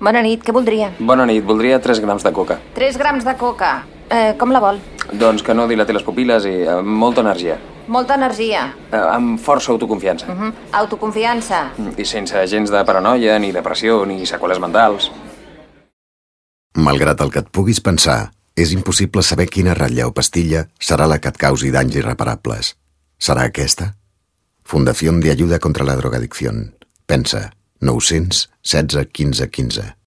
Bona nit, què voldria? Bona nit, voldria 3 grams de coca. 3 grams de coca. Com la vol? Doncs que no dilati les pupil·les i amb molta energia. Molta energia. Amb força autoconfiança. Autoconfiança. I sense gens de paranoia, ni depressió, ni seqüeles mentals. Malgrat el que et puguis pensar, és impossible saber quina ratlla o pastilla serà la que et causi danys irreparables. Serà aquesta? Fundación de Ayuda contra la Drogadicción. Pensa, 900 16 15 15.